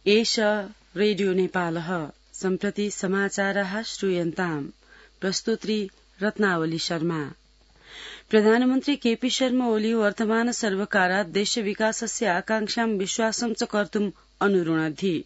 एष रेडियो नेपालः सम्प्रति समाचाराः श्रूयन्ताम् प्रस्तुत्री रत्नावली शर्मा। प्रधानमन्त्री केपी शर्मा ओली वर्तमान सर्वकारात् देशविकासस्य आकांक्षां विश्वासं च कर्तुम् अनुरुणद्धि।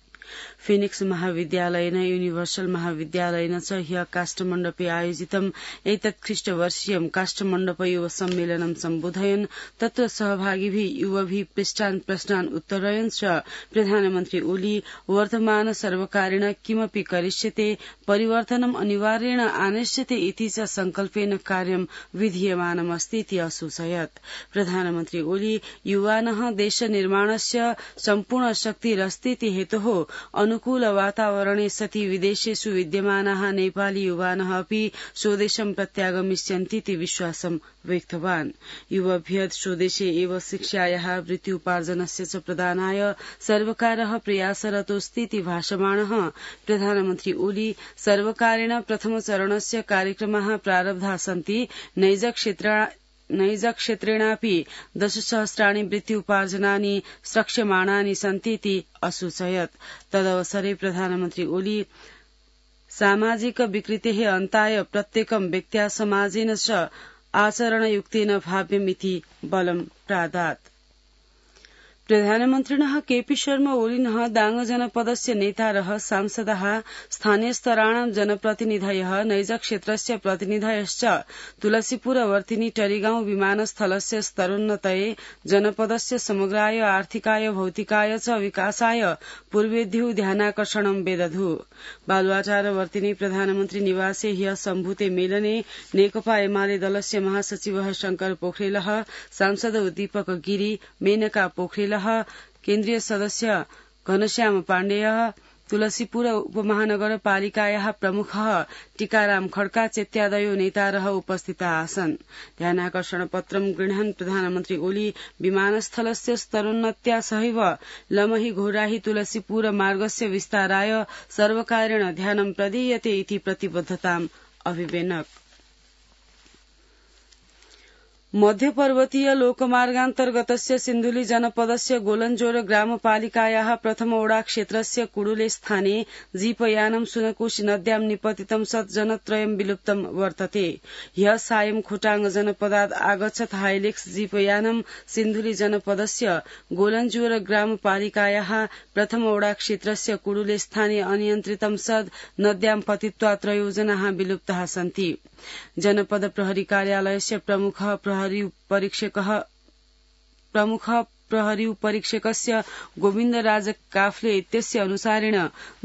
फिनिक्स महाविद्यालयेन यूनिवर्सल महाविद्यालयेन च ह्य काष्ठमण्डपे आयोजितम् एतत् ख्रीष्टवर्षीयं काष्ठमण्डप युव सम्मेलनं सम्बोधयन् तत्र सहभागिभिः युवभिः पृष्ठान् प्रश्नान् उत्तरयन् च प्रधानमन्त्री ओली वर्तमान सर्वकारेण किमपि करिष्यते परिवर्तनम् अनिवार्येण आनश्यते इति च संकल्पेन कार्यं विधीयमानमस्ति इति असूचयत्। प्रधानमन्त्री ओली युवानः देशनिर्माणस्य सम्पूर्ण शक्तिरस्तीति हेतोः अनुकूल वातावरणे सति विदेशेषु विद्यमानाः नेपाली युवानः अपि स्वदेशं प्रत्यागमिष्यन्तीति विश्वासं व्यक्तवान्। युवभ्यः स्वदेशे एव शिक्षायाः वृत्त्युपार्जनस्य च प्रदानाय सर्वकारः प्रयासरतोऽस्तीति भाषमाणः प्रधानमन्त्री ओली सर्वकारेण प्रथमचरणस्य कार्यक्रमाः प्रारब्धाः सन्ति नैज क्षेत्रेणापि 10,000 वृत्त्युपार्जनानि स्रक्ष्यमाणानि सन्तीति असूचयत्। तदवसरे प्रधानमन्त्री ओली सामाजिक विकृतेः अन्ताय प्रत्येकं व्यक्त्या समाजेन च आचरणयुक्तेन भाव्यमिति बलं प्रादात्। प्रधानमन्त्रिणः केपी शर्मा ओलिनः दाङ जनपदस्य नेतारः सांसदाः स्थानीयस्तराणां जनप्रतिनिधयः नैजक्षेत्रस्य प्रतिनिधयश्च तुलसीपुरवर्तिनी टरीगाउँ विमानस्थलस्य स्तरोन्नतये जनपदस्य समग्राय आर्थिकाय भौतिकाय च विकासाय पूर्वेद्युः ध्यानाकर्षणं वेदधु। बालुवाटारवर्तिनी प्रधानमन्त्री निवासे ह्यः सम्भूते मेलने नेकपा एमाले दलस्य महासचिवः शंकर पोखरेलः सांसद दीपक गिरी मेनका पोखरेल केन्द्रीय सदस्य घनश्याम पाण्डेयः तुलसीपुर उपमहानगरपालिकायाः प्रमुखः टीकाराम खड्का चेत्यादयो नेतारः उपस्थिताः आसन्। ध्यानाकर्षण पत्रं गृह्णन् प्रधानमन्त्री ओली विमानस्थलस्य स्तरोन्नत्या सहैव लमही घोराही तुलसीपुर मार्गस्य विस्ताराय सर्वकारेण ध्यानं प्रदीयते इति प्रतिबद्धताम् अभिवेनक। मध्यपर्वतीय लोकमार्गान्तर्गतस्य सिन्धुली जनपदस्य गोलञ्जोर ग्रामपालिकायाः प्रथमवडा क्षेत्रस्य कुडुले स्थाने जीपयानं सुनकोशी नद्यां निपतितं सत् जनत्रयं विलुप्तं वर्तते। ह्यः सायं खोटाङ जनपदात् आगच्छत् हाइलेक्स जीपयानं सिन्धुली जनपदस्य गोलञ्जोर ग्रामपालिकायाः प्रथमवडा क्षेत्रस्य कुडुले स्थाने अनियन्त्रितं सत् नद्यां पतित्वा 3 जनाः विलुप्ताः सन्ति। जनपद प्रहरी कार्यालयस्य प्रमुख प्रहरी परीक्षकस्य गोविन्दराज काफ्ले इत्यस्य अनुसारेण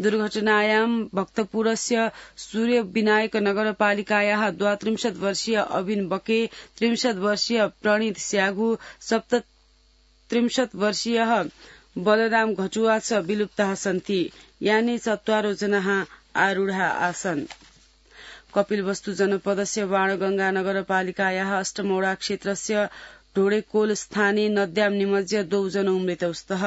दुर्घटनायां भक्तपुरस्य सूर्यविनायक नगरपालिकायाः 32 वर्षीय अबिन बके 30 वर्षीय प्रणीत स्यागु 37 वर्षीयः बलराम घटुवा च विलुप्ताः सन्ति। यानि 4 जनाः आरूढा आसन्। कपिलवस्तु जनपदस्य बाणगंगा नगरपालिकायाः अष्टमवडा क्षेत्रस्य ढोडेकोल स्थाने नद्यां निमज्य 2 जनौ मृतौ स्तः।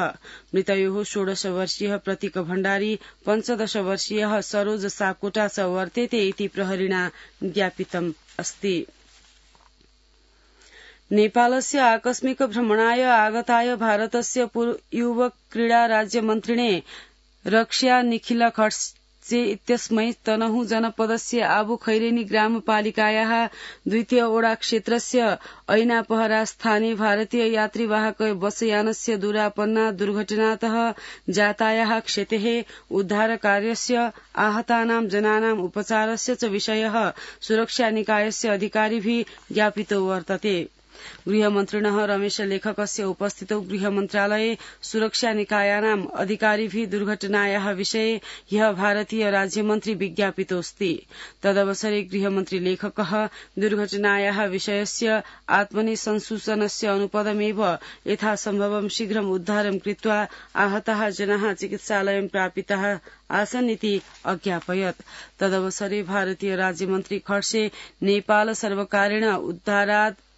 मृतयोः 16 वर्षीयः प्रतीक भण्डारी 15 वर्षीयः सरोज सापकोटा च वर्तेते इति प्रहरिणा ज्ञापितम् अस्ति। नेपालस्य आकस्मिक भ्रमणाय आगताय भारतस्य युव क्रीडा राज्यमन्त्रिणे रक्ष्या निखिल खड्से इत्यस्मै तनहु जनपदस्य आबु खैरेनी ग्रामपालिकायाः 2 वडा क्षेत्रस्य ऐनापहरा स्थाने भारतीय यात्रीवाहक बसयानस्य दुरापन्ना दुर्घटनातः जातायाः क्षतेः उद्धारकार्यस्य आहतानां जनानां उपचारस्य च विषयः सुरक्षा निकायस्य अधिकारिभिः ज्ञापितो वर्तते। गृहमन्त्रिणः रमेश लेखकस्य उपस्थितौ गृहमन्त्रालये सुरक्षा निकायानाम् अधिकारिभिः दुर्घटनायाः विषये ह्यः भारतीय राज्यमन्त्री विज्ञापितोऽस्ति। तदवसरे गृहमन्त्री लेखकः दुर्घटनायाः विषयस्य आत्मनि संसूचनस्य अनुपदमेव यथासम्भवं शीघ्रम् उद्धारं कृत्वा आहताः जनाः चिकित्सालयं प्रापिताः आसन् इति अज्ञापयत्। तदवसरे भारतीय राज्यमन्त्री खड्से नेपाल सर्वकारेण उद्धारात्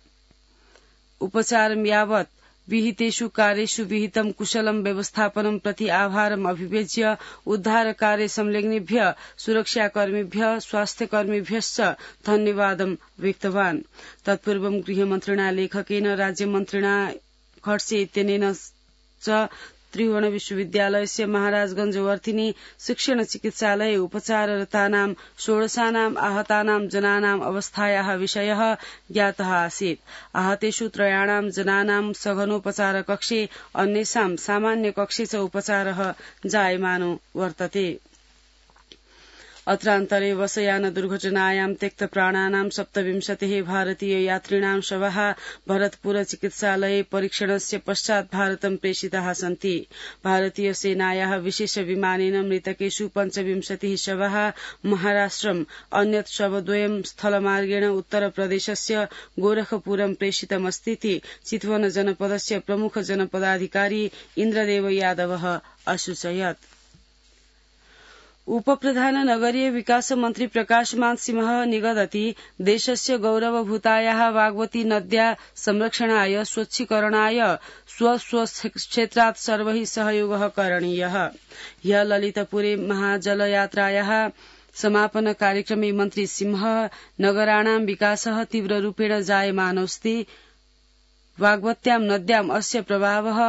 उपचारं यावत् विहितेषु कार्येषु विहितं कुशलं व्यवस्थापनं प्रति आभारम् अभिव्यज्य उद्धारकार्ये संलग्नेभ्यः सुरक्षाकर्मिभ्यः स्वास्थ्यकर्मिभ्यश्च धन्यवादं व्यक्तवान्। तत्पूर्वं गृहमन्त्रिणा लेखकेन राज्यमन्त्रिणा खड्से इत्यनेन च त्रिभुवन विश्वविद्यालयस्य महाराजगंज वर्थिनी शिक्षण चिकित्सालये उपचाररतानां 16 आहतानां जनानां अवस्थायाः विषयः ज्ञातः आसीत्। आहतेषु 3 जनानां सघनोपचार कक्षे अन्येषां सामान्य कक्षे च उपचारः जायमानो वर्तते। अत्रान्तरे बसयान दुर्घटनायां त्यक्तप्राणानां 27 भारतीय यात्रिणां शवाः भरतपुर चिकित्सालये परीक्षणस्य पश्चात् भारतं प्रेषिताः सन्ति। भारतीय सेनायाः विशेष विमानेन मृतकेषु 25 शवाः महाराष्ट्रम्, अन्यत् शवद्वयं स्थलमार्गेण उत्तरप्रदेशस्य गोरखपुरं प्रेषितमस्तीति चितवन जनपदस्य प्रमुख जनपदाधिकारी इन्द्रदेव यादवः असूचयत्। उपप्रधान नगरीय विकास मन्त्री प्रकाशमान सिंहः निगदति देशस्य गौरवभूतायाः वाग्वती नद्या संरक्षणाय स्वच्छीकरणाय स्वक्षेत्रात् सर्वैः सहयोगः करणीयः। ह्यः ललितपुरे महाजलयात्रायाः समापन कार्यक्रमे मन्त्री सिंहः नगराणां विकासः तीव्ररूपेण जायमानोऽस्ति। वाग्वत्यां नद्याम् अस्य प्रभावः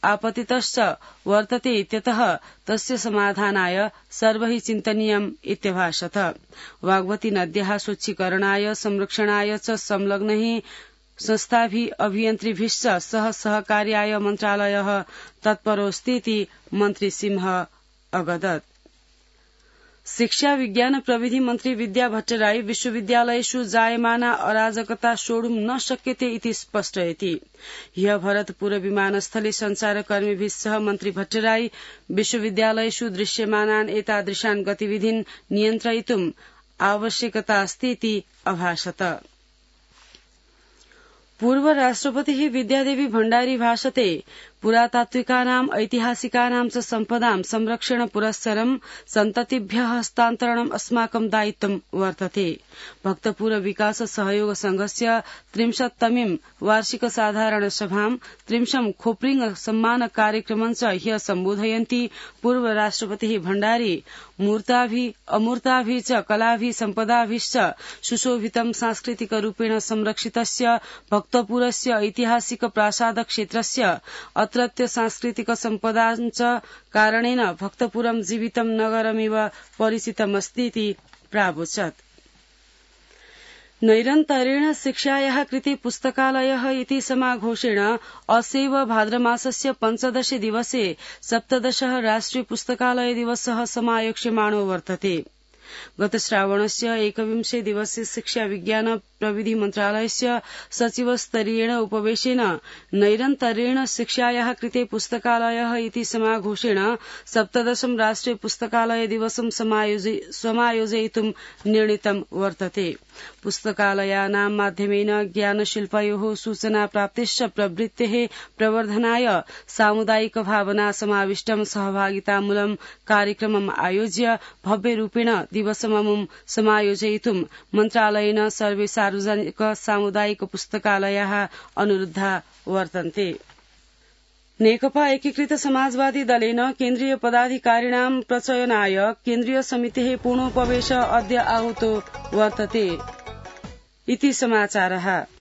आपतितश्च वर्तते इत्यतः तस्य समाधानाय सर्वैः चिन्तनीयम् इत्यभाषत। वाग्वती नद्याः स्वच्छीकरणाय संरक्षणाय च संलग्नैः संस्थाभिः अभियन्त्रिभिश्च सह सहकार्याय मन्त्रालयः तत्परोऽस्तीति मन्त्री सिंहः अगदत्। शिक्षा विज्ञान प्रविधि मन्त्री विद्या भट्टराई विश्वविद्यालयेषु जायमाना अराजकता सोढुं न शक्यते इति स्पष्टयति। ह्यः भरतपुर विमानस्थले सञ्चारकर्मीभिः सह मन्त्री भट्टराई विश्वविद्यालयेषु दृश्यमानान् एतादृशान् गतिविधीन् नियन्त्रयितुम् आवश्यकता अस्ति इति अभाषत। पूर्व राष्ट्रपतिः विद्यादेवी भण्डारी भाषते पुरातात्विकानाम् ऐतिहासिकानां च सम्पदां संरक्षण पुरस्सरं सन्ततिभ्यः हस्तान्तरणम् अस्माकं दायित्वं वर्तते। भक्तपुर विकास सहयोग संघस्य 33मीं वार्षिक साधारण सभां 30 खोप्रिंग सम्मान कार्यक्रमं च ह्यः सम्बोधयन्ती पूर्व राष्ट्रपतिः भण्डारी मूर्ताभिः अमूर्ताभिः च कलाभिः सम्पदाभिश्च सुशोभितं सांस्कृतिकरूपेण संरक्षितस्य भक्तपुरस्य ऐतिहासिक प्रासाद क्षेत्रस्य अत्रत्य सांस्कृतिक सम्पदाञ्च कारणेन भक्तपुरं जीवितं नगरमिव परिचितमस्तीति प्रावोचत्। नैरन्तर्येण शिक्षायाः कृते पुस्तकालयः इति समाघोषेण असेव भाद्रमासस्य 15 दिवसे 17 राष्ट्रिय पुस्तकालय दिवसः समायोक्ष्यमाणो वर्तते। गत श्रावणस्य 21 दिवसे शिक्षा विज्ञान प्रविधि मन्त्रालयस्य सचिवस्तरीयेण उपवेशेन नैरन्तर्येण शिक्षायाः कृते पुस्तकालयः इति समाघोषेण 17 राष्ट्रिय पुस्तकालय दिवसं समायोजयितुं निर्णीतं वर्तते। पुस्तकालयानां माध्यमेन ज्ञानशिल्पयोः सूचना प्राप्तिश्च प्रवृत्तेः प्रवर्धनाय सामुदायिक भावना समाविष्टं सहभागितामूलं कार्यक्रमम् आयोज्य भव्यरूपेण दिवसममुं समायोजयितुं मन्त्रालयेन सर्वे सार्वजनिक सामुदायिक पुस्तकालयाः अनुरुद्धा वर्तन्ते। नेकपा एकीकृत समाजवादी दलेन केन्द्रीय पदाधिकारिणां प्रचयनाय केन्द्रीय समितेः पूर्णोपवेश अद्य आहूतो वर्तते इति समाचारः।